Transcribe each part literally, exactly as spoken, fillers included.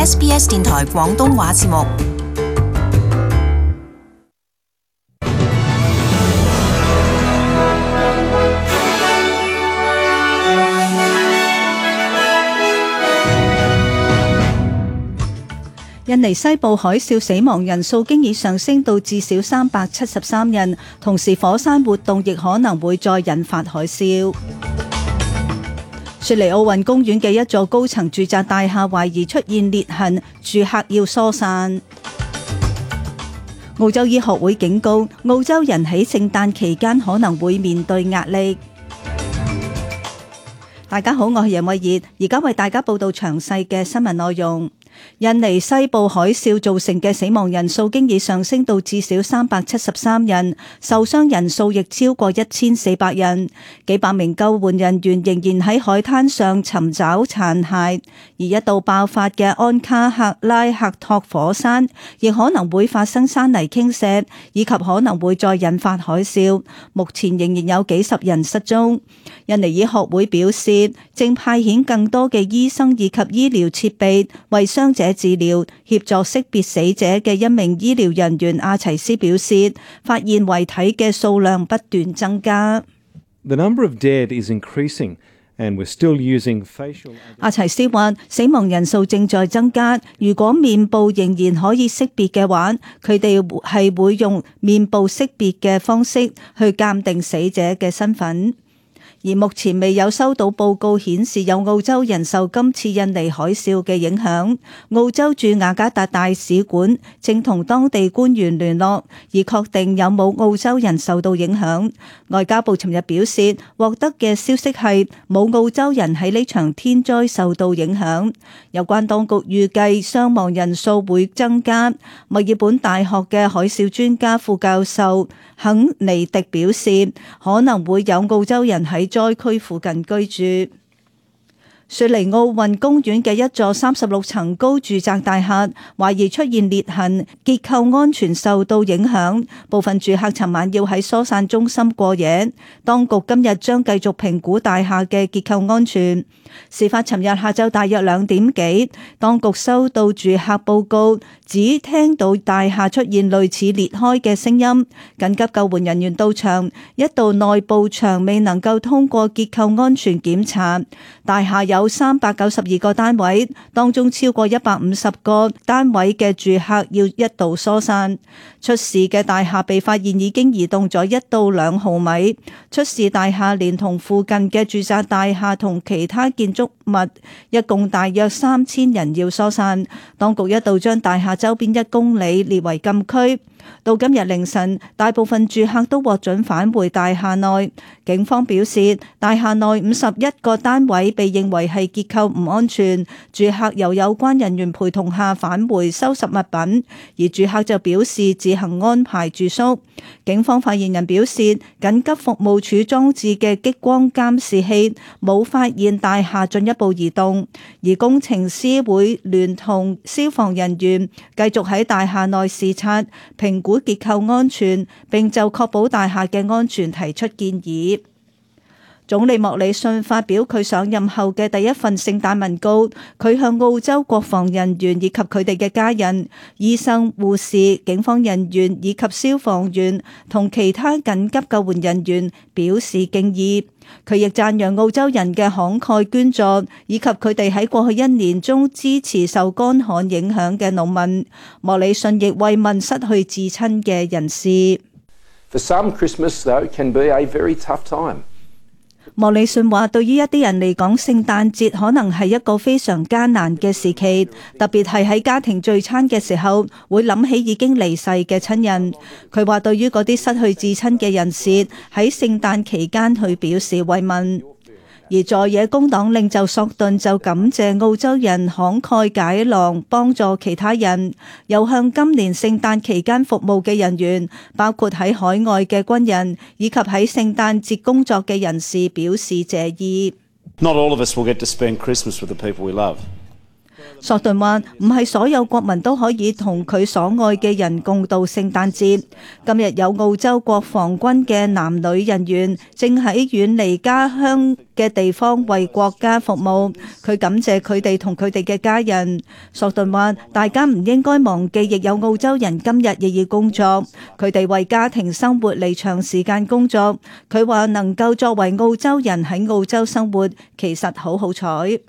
S B S 電台廣東話節目。印尼西部海嘯死亡人數經已上升到至少三百七十三人，同時火山活動亦可能會再引發海嘯。雪梨奧運公園嘅一座高層住宅大廈懷疑出現裂痕，住客要疏散。澳洲醫學會警告，澳洲人喺聖誕期間可能會面對壓力。大家好，我係楊慧儀，而家為大家報道詳細嘅新聞內容。印尼西部海嘯造成嘅死亡人數經已上升到至少三百七十三人，受傷人數亦超過一千四百人。幾百名救援人員仍然喺海灘上尋找殘骸，而一度爆發嘅安卡克拉克托火山亦可能會發生山泥傾瀉，以及可能會再引發海嘯。目前仍然有幾十人失蹤。印尼醫學會表示，正派遣更多嘅醫生以及醫療設備為傷者治療。協助識別死者嘅一名醫療人員阿齊斯表示，發現遺體嘅數量不斷增加。The number of dead is increasing, and we're still using facial. 阿齊斯話，死亡人數正在增加。如果面部仍然可以識別嘅話，佢哋係會用面部識別嘅方式去鑑定死者嘅身份。而目前未有收到報告顯示有澳洲人受今次印尼海嘯嘅影響。澳洲駐雅加達大使館正同當地官員聯絡，而確定有冇澳洲人受到影響。外交部尋日表示，獲得嘅消息係冇澳洲人喺呢場天災受到影響。有關當局預計傷亡人數會增加。墨爾本大學嘅海嘯專家副教授肯尼迪表示，可能會有澳洲人喺災區附近居住。雪梨奧運公園嘅一座三十六層高住宅大廈懷疑出現裂痕，結構安全受到影響，部分住客尋晚要喺疏散中心過夜。當局今日將繼續評估大廈嘅結構安全。事發尋日下晝大約兩點幾，當局收到住客報告，只聽到大廈出現類似裂開嘅聲音。緊急救援人員到場，一度內部牆未能夠通過結構安全檢查。大廈有三百九十二個單位，當中超過一百五十個單位嘅住客要一度疏散。出事嘅大廈被發現已經移動咗一到兩毫米。出事大廈連同附近嘅住宅大廈同其他建築物，一共大約三千人要疏散。當局一度將大廈周邊一公里列為禁區。到今日凌晨，大部分住客都獲准返回大廈內。警方表示，大廈內五十一個單位被認為係結構唔安全，住客由有關人員陪同下返回收拾物品，而住客就表示自行安排住宿。警方發言人表示，緊急服務處裝置嘅激光監視器冇發現大廈進一步移動，而工程師會聯同消防人員繼續喺大廈內視察、評估結構安全，並就確保大廈嘅安全提出建議。總理莫里遜發表佢上任後嘅第一份聖誕文告，佢向澳洲國防人員以及佢哋嘅家人、醫生、護士、警方人員以及消防員同其他緊急救援人員表示敬意。佢亦讚揚澳洲人嘅慷慨捐助，以及佢哋喺過去一年中支持受乾旱影響嘅農民。莫里遜亦慰問失去至親嘅人士。For some, Christmas, though, can be a very tough time. 莫里遜話，對於一啲人嚟講，聖誕節可能係一個非常艱難嘅時期，特別係喺家庭聚餐嘅時候，會諗起已經離世嘅親人。佢話對於嗰啲失去至親嘅人士，喺聖誕期間去表示慰問。而在野工黨領袖索頓就感謝澳洲人慷慨解囊，幫助其他人，又向今年聖誕期間服務嘅人員，包括喺海外嘅軍人以及喺聖誕節工作嘅人士表示謝意。Not all of us will get to spend Christmas with the people we love. 索頓話：唔係所有國民都可以同佢所愛嘅人共度聖誕節。今日有澳洲國防軍嘅男女人員正喺遠離家鄉嘅地方為國家服務，佢感謝佢哋同佢哋嘅家人。索頓話：大家唔應該忘記，亦有澳洲人今日亦要工作，佢哋為家庭生活嚟長時間工作。佢話能夠作為澳洲人喺澳洲生活，其實好好彩。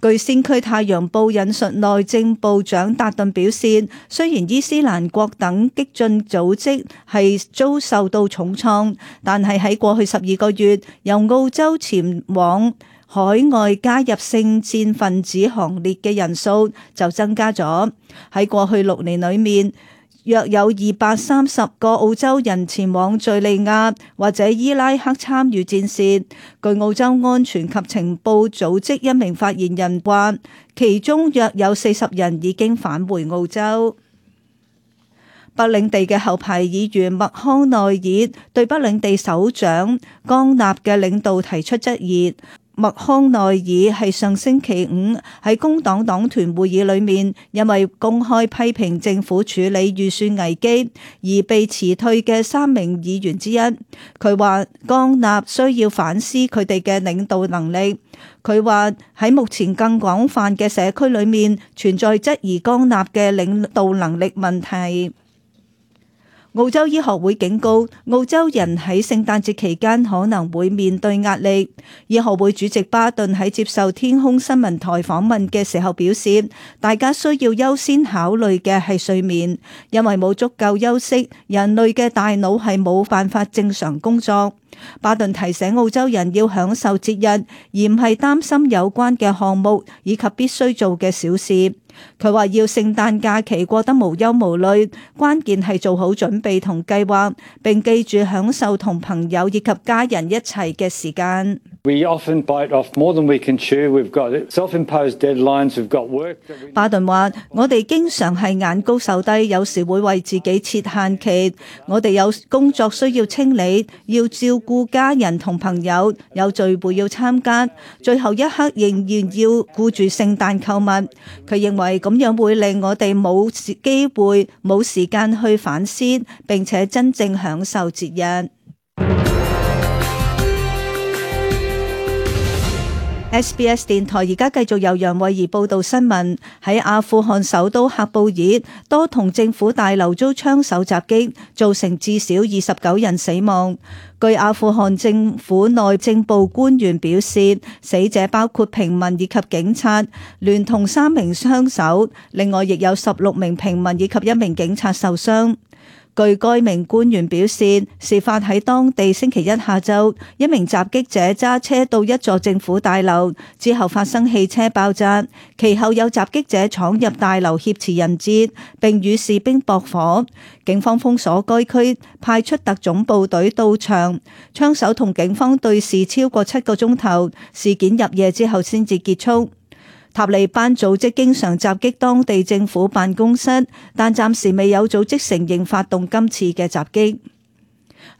據先驅太陽報引述內政部長達頓表示，雖然伊斯蘭國等激進組織係遭受到重創，但係喺過去十二個月，由澳洲前往海外加入聖戰分子行列嘅人數就增加咗。喺過去六年裏面，約有二百三十個澳洲人前往敘利亞或者伊拉克參與戰事。據澳洲安全及情報組織一名發言人話，其中約有四十人已經返回澳洲。北領地嘅後排議員麥康奈爾對北領地首長江納嘅領導提出質疑。麥康奈爾係上星期五喺工黨黨團會議裏面，因為公開批評政府處理預算危機而被辭退嘅三名議員之一。佢話江納需要反思佢哋嘅領導能力。佢話喺目前更廣泛嘅社區裏面存在質疑江納嘅領導能力問題。澳洲醫學會警告澳洲人喺聖誕節期間可能會面對壓力。醫學會主席巴頓喺接受天空新聞台訪問嘅時候表示，大家需要優先考慮嘅係睡眠，因為冇足夠休息，人類嘅大腦係冇辦法正常工作。巴頓提醒澳洲人要享受節日，而唔係擔心有關嘅項目以及必須做嘅小事。佢話要聖誕假期過得無憂無慮，關鍵係做好準備同計劃，並記住享受同朋友以及家人一齊嘅時間。We often bite off more than we can chew. We've got self-imposed deadlines. We've got work. 巴頓話：我哋經常係眼高手低，有時會為自己設限期。我哋有工作需要清理，要照顧家人同朋友，有聚會要參加，最後一刻仍然要顧住聖誕購物。佢認為咁樣會令我哋冇機會、冇時間去反思，並且真正享受節日。S B S 電台而家繼續由楊慧儀報道新聞。喺阿富汗首都喀布爾，多幢政府大樓遭槍手襲擊，造成至少二十九人死亡。據阿富汗政府內政部官員表示，死者包括平民以及警察，聯同三名槍手，另外亦有十六名平民以及一名警察受傷。據該名官員表示，事發喺當地星期一下晝，一名襲擊者揸車到一座政府大樓，之後發生汽車爆炸，其後有襲擊者闖入大樓挾持人質，並與士兵駁火。警方封鎖該區，派出特種部隊到場，槍手同警方對峙超過七個鐘頭，事件入夜之後先至結束。塔利班組織經常襲擊當地政府辦公室，但暫時未有組織承認發動今次嘅襲擊。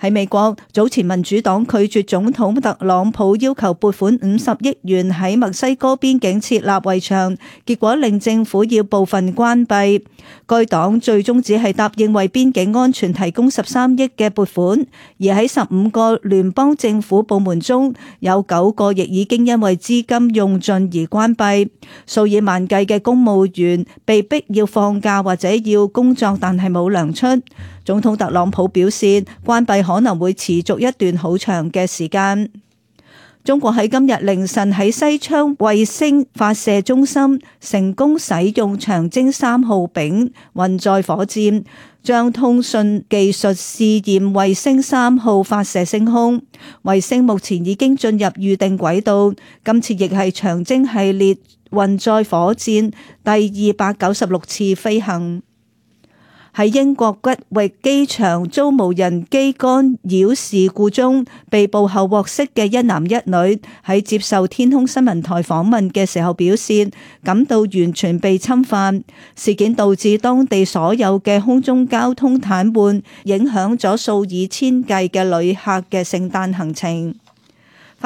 喺美國，早前民主黨拒絕總統特朗普要求撥款五十億元喺墨西哥邊境設立圍牆，結果令政府要部分關閉。該黨最終只係答應為邊境安全提供十三億嘅撥款，而喺十五個聯邦政府部門中，有九個亦已經因為資金用盡而關閉。數以萬計嘅公務員被逼要放假或者要工作，但係冇糧出。總統特朗普表示，關閉可能會持續一段好長嘅時間。中國喺今日凌晨喺西昌衛星發射中心成功使用長征三號丙運載火箭，將通訊技術試驗衛星三號發射升空。衛星目前已經進入預定軌道，今次亦係長征系列運載火箭第二百九十六次飛行。喺英國吉域機場遭無人機干擾事故中被捕後獲釋嘅一男一女，喺接受天空新聞台訪問嘅時候表示，感到完全被侵犯。事件導致當地所有嘅空中交通癱瘓，影響咗數以千計嘅旅客嘅聖誕行程。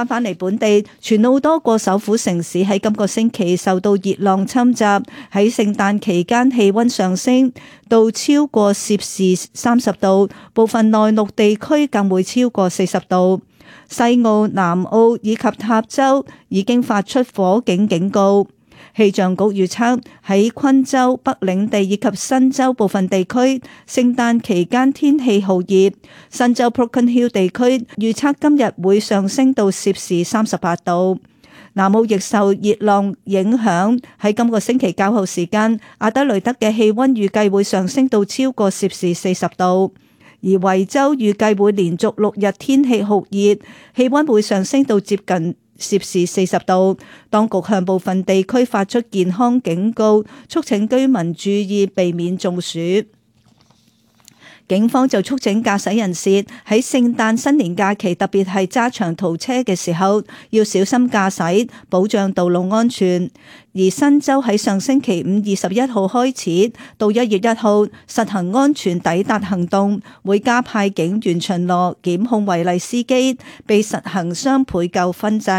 翻返嚟本地，全澳多個首府城市喺今個星期受到熱浪侵襲，喺聖誕期間氣溫上升到超過攝氏三十度，部分內陸地區更會超過四十度。西澳、南澳以及塔州已經發出火警警告。氣象局預測喺昆州、北領地以及新州部分地區，聖誕期間天氣酷熱。新州 Broken Hill 地區預測今日會上升到攝氏三十八度。南澳亦受熱浪影響，喺今個星期較後時間，阿德雷德嘅氣溫預計會上升到超過攝氏四十度。而維州預計會連續六日天氣酷熱，氣溫會上升到接近攝氏四十度。當局向部分地區發出健康警告，促請居民注意避免中暑。警方就促請駕駛人士喺聖誕新年假期，特別係揸長途車嘅時候，要小心駕駛，保障道路安全。而新州喺上星期五二十一號開始到一月一號實行安全抵達行動，會加派警員巡邏檢控違例司機，被實行雙倍扣分制。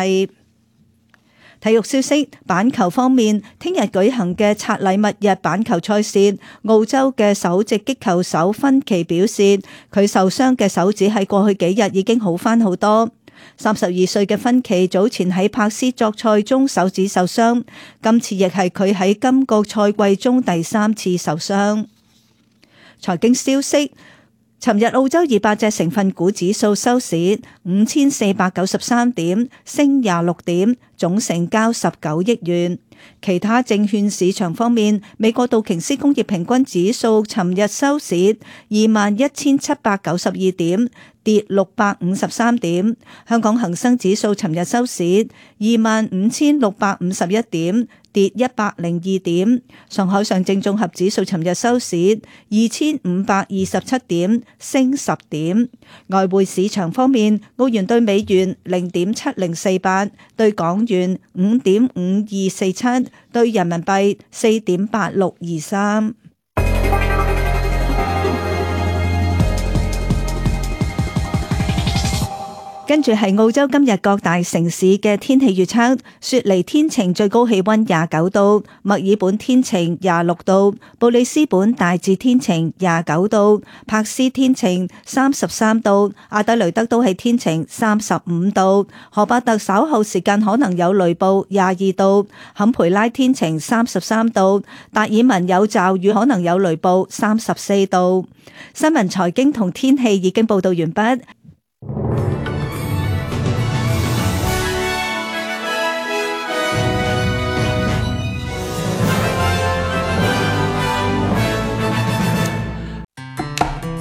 體育消息，板球方面，聽日舉行嘅拆禮物日板球賽事，澳洲嘅首席擊球手芬奇表示，佢受傷嘅手指喺過去幾日已經好返好多。三十二歲嘅芬奇早前喺柏斯作賽中手指受傷，今次亦係佢喺今個賽季中第三次受傷。財經消息。尋日澳洲二百隻成分股指數收市五千四百九十三點，升廿六點，總成交十九億元。其他證券市場方面，美國道瓊斯工業平均指數尋日收市二萬一千七百九十二點，跌六百五十三點。香港恒生指數尋日收市二萬五千六百五十一點，跌一百零二點。上海上證綜合指數尋日收市二千五百二十七點，升十點。外匯市場方面，澳元對美元零點七零四八，對港元五點五二四七，對人民幣四點八六二三。跟住係澳洲今日各大城市嘅天氣預測：雪梨天晴，最高氣溫廿九度；墨爾本天晴，廿六度；布里斯本大致天晴，廿九度；柏斯天晴，三十三度；阿德雷德都係天晴，三十五度；荷伯特稍後時間可能有雷暴，廿二度；坎培拉天晴，三十三度；達爾文有驟雨，可能有雷暴，三十四度。新聞、財經同天氣已經報道完畢。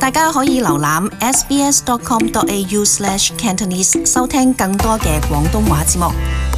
大家可以瀏覽 s b s dot com dot a u slash cantonese 收聽更多嘅廣東話節目。